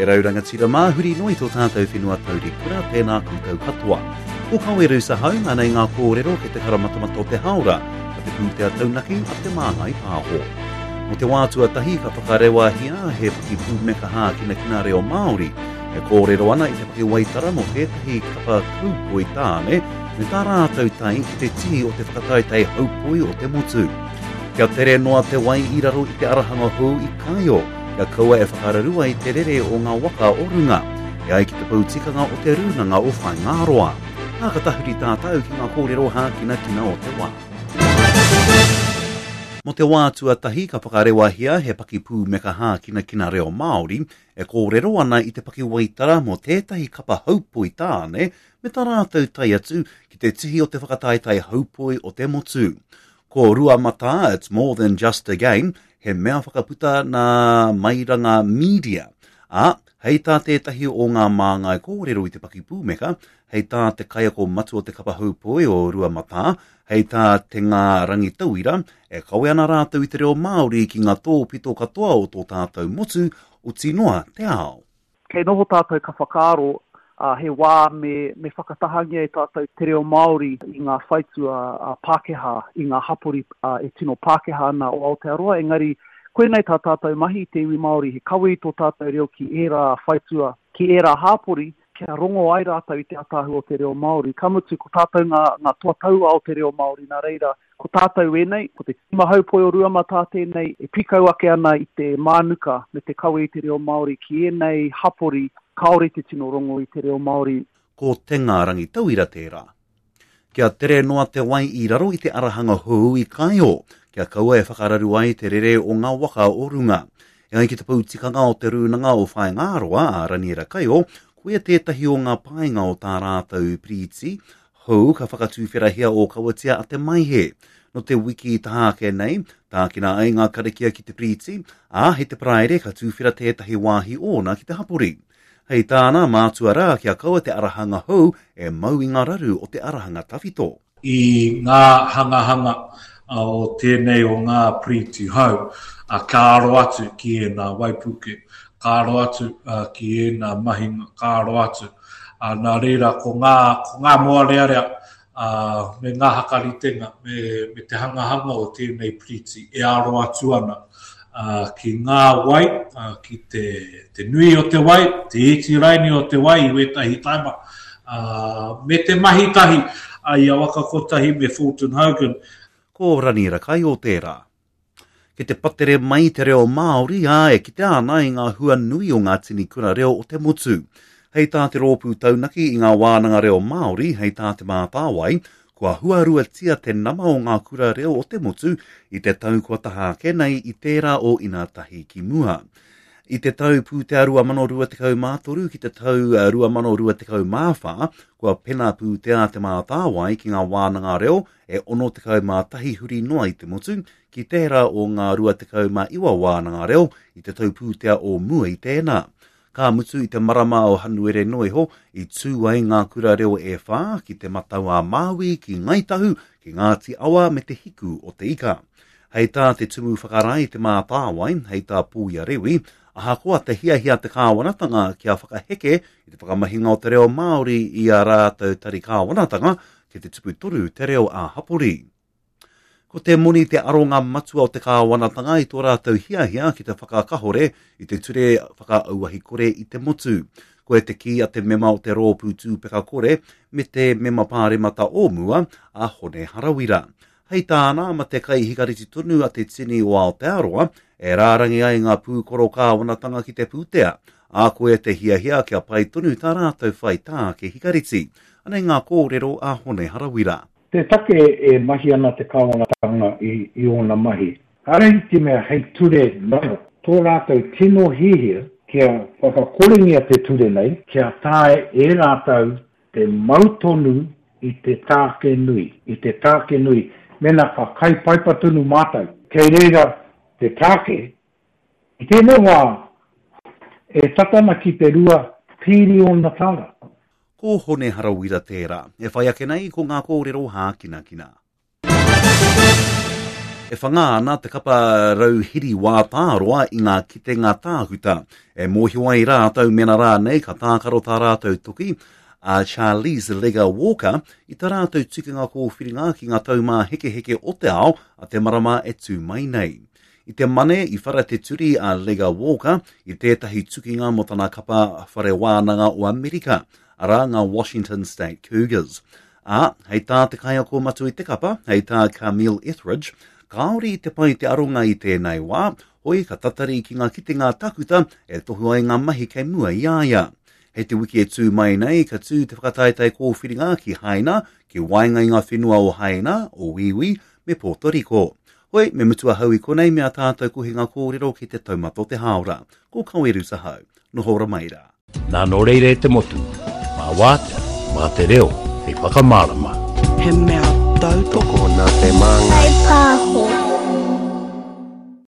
E rau rangatira mā, huri noa i tō tātou whenua taurikura, tēnā koutou katoa. Ko Kawe Rusa hau, anei ngā kōrero kei te karamatamata o te hāora, a te pūtea taunaki a Te Māngai Pāho. Mō te wā tuatahi ka whakarewahia he pakipūmeka hākinakina reo Māori, e kōrero ana i te pakiwaitara mō tētahi kapa kaupoi tāne me tā rātou tae ki te tihi o te whakataetae haupoi o te motu. Kia tere noa te wai i raro i te arahanga hou i Kaeo, kia kaua e whakararu ai te rere o ngā waka o runga, e ai ki te pou tikanga o te Rūnanga o Whaingāroa. Ā, ka tahuri tātou ki ngā kōrero hākinakina o te wā. Mō te wā tuatahi ka whakarewahia he pakipūmeka hākinakina reo Māori e kōrero ana i te pakiwaitara mō tētahi kapa haupoi tāne me tā rātou tae atu ki te tihi o te whakataetae haupoi o te motu. Ko Ruamatā, It's More Than Just a Game, he mea whakaputa nā Mairanga Media, ā, hei tā tētahi o ngā māngai kōrero i te pakipūmeka, hei tā te kaiako matua o te kapa haupoi o Ruamatā, hei tā Te Ngā Rangitauira, e kawe ana rātou i te reo Māori ki ngā tōpito katoa o tō tātou motu, oti noa te ao. Kei noho tātou ka whakaaro, ā, he wā me, me whakatahangia e tātou te reo Māori i ngā whaitua Pākehā, i ngā hapori e tino Pākehā ana o Aotearoa, engari koinei tā tātou mahi i te iwi Māori, he kawe i tō tātou reo ki ērā whaitua, ki ērā hāpori, kia rongo ai rātou i te ātaahua o te reo Māori. Ka mutu, ko tātou ngā, ngā toa tauā o te reo Māori, nā reira, ko tātou ēnei, ko te tīma haupoi o Ruamatā tēnei e pīkau ake ana i te mānuka me te kawe i te reo Māori ki ēnei hapori kāore te tino rongo i te reo Māori. Ko Te Ngā Rangitauira tērā. Kia tere noa te wai i raro i te arahanga hou i Kaeo, kia kaua e whakararu ai te rere o ngā waka o runga. E ai ki te pou tikanga o Te Rūnanga o Whaingāroa, a Raniera Kaio, koia tētahi o ngā painga o tā rātou piriti hou ka whakatuwherahia ōkawatia a Te Maihe. Nō te wiki i taha ake nei, tākina ai ngā karakia ki te piriti, ā, hei te Paraire ka tuwhera tētahi wāhi ōna ki te hapori. Hei tāna, mātua rā kia kaua te arahanga hou e mau i ngā raru o te arahanga tawhito. I ngā hangahanga o tēnei o ngā piriti hou, ka aro atu ki ēnā waipuke, ka aro atu ki ēnā mahinga, ka aro atu. Nā reira, ko ngā, ko ngā mōrearea ā, me ngā hakaritenga, me, me te hangahanga o tēnei piriti e aro atu ana ā, ki ngā wai, ā, ki te, te nui o te wai, te iti raini o te wai i wētahi taima, ā, me te mahi tahi ā, i a Waka Kotahi me Fulton Hogan. Ko Raniera Kaio tērā. Kei te patere mai te reo Māori, ā, e kitea ana i ngā hua nui o ngā tini kura reo o te motu. Hei tā te rōpū taunaki i ngā wānanga reo Māori, hei tā Te Mātāwai, kua huaruatia te nama o ngā kura reo o te motu i te tau kua taha ake nei i tērā o inātahi ki mua. I te tau pūtea 2023 ki te tau 2024, kua pena pūtea Te Mātāwai ki ngā wānanga reo e 61 huri noa i te motu, ki tērā o ngā 29 wānanga reo i te tau pūtea o mua i tēnā. Ka mutu i te marama o Hanuere noa iho, i tū ai ngā kura reo e whā ki Te Matau-a-Māui, ki Ngāi Tahu, ki Ngāti Awa me Te Hiku o Te Ika. Hei tā te Tumu Whakarae i Te Mātāwai, hei tā Pūia Rewi, ahakoa te hiahia te kāwanatanga kia whakaheke i te whakamahinga o te reo Māori i ā rātou tari kāwanatanga, kei te tupu tonu te reo ā-hapori. Ko te moni te aronga matua o te kāwanatanga i tō rātou hiahia ki te whakakahore i te ture whakaauahi kore i te motu. Koia te kī a te mema o te Rōpū Tūpeka Kore me te mema pāremata o mua, a Hone Harawira. Hei tāna, ma te kai hikareti tonu a te tini o Aotearoa, e rārangi ai ngā pūkoro kāwanatanga ki te pūtea, ā, koia te hiahia kia pai tonu tā rātou whai tāke hikareti. Anei ngā kōrero a Hone Harawira. Te take e mahi ana te kāwanatanga i ōna mahi, kāre i te mea hei ture noa tō rātou tino hiahia kia whakakorengia te ture nei, kia taea e rātou te mau tonu i te tāke nui, i te tāke nui, mēnā ka kai paipa tonu mātou, kei reira te tāke, i tēnei wā e tata ana ki te $2 pīriona. Ko Hone Harawira tērā. E whai ake nei ko ngā kōrero hākinakina. E whanga ana te kapa rauhiri wā tāroa i ngā kitenga tākuta. E mōhio ai rātou mēnā rānei ka tākaro tā rātou toki, a Charlize Lega Walker, i tā rātou tukinga kōwhiringa ki ngā taumāhekeheke o te ao a te marama e tū mai nei. I te Mane i whara te turi a Lega Walker i tētahi tukinga mō tana kapa whare wānanga o Amerika, arā ngā Washington State Cougars. Ā, hei tā te kaiako matua i te kapa, hei tā Camille Etheridge, kāore i te pai te aronga i tēnei wā, hoi ka tatari ki ngā kitenga takuta e tohu ai ngā mahi kei mua i a ia. Hei te wiki e tū mai nei, ka tū te whakataetae kōwhiringa ki Haina, ki waenga i ngā whenua o Haina, o Wīwī, me Pōto Riko. Hoi, me mutu ahau i konei me ā tātou kohinga kōrero ki te taumata o te hāora. Ko Kaweru Sahau. Noho ora mai rā. Nā nō reira e te motu, mā wātea, mā te reo hei whakamārama. He mea tautoko Tokona te māngai. Whai pāho.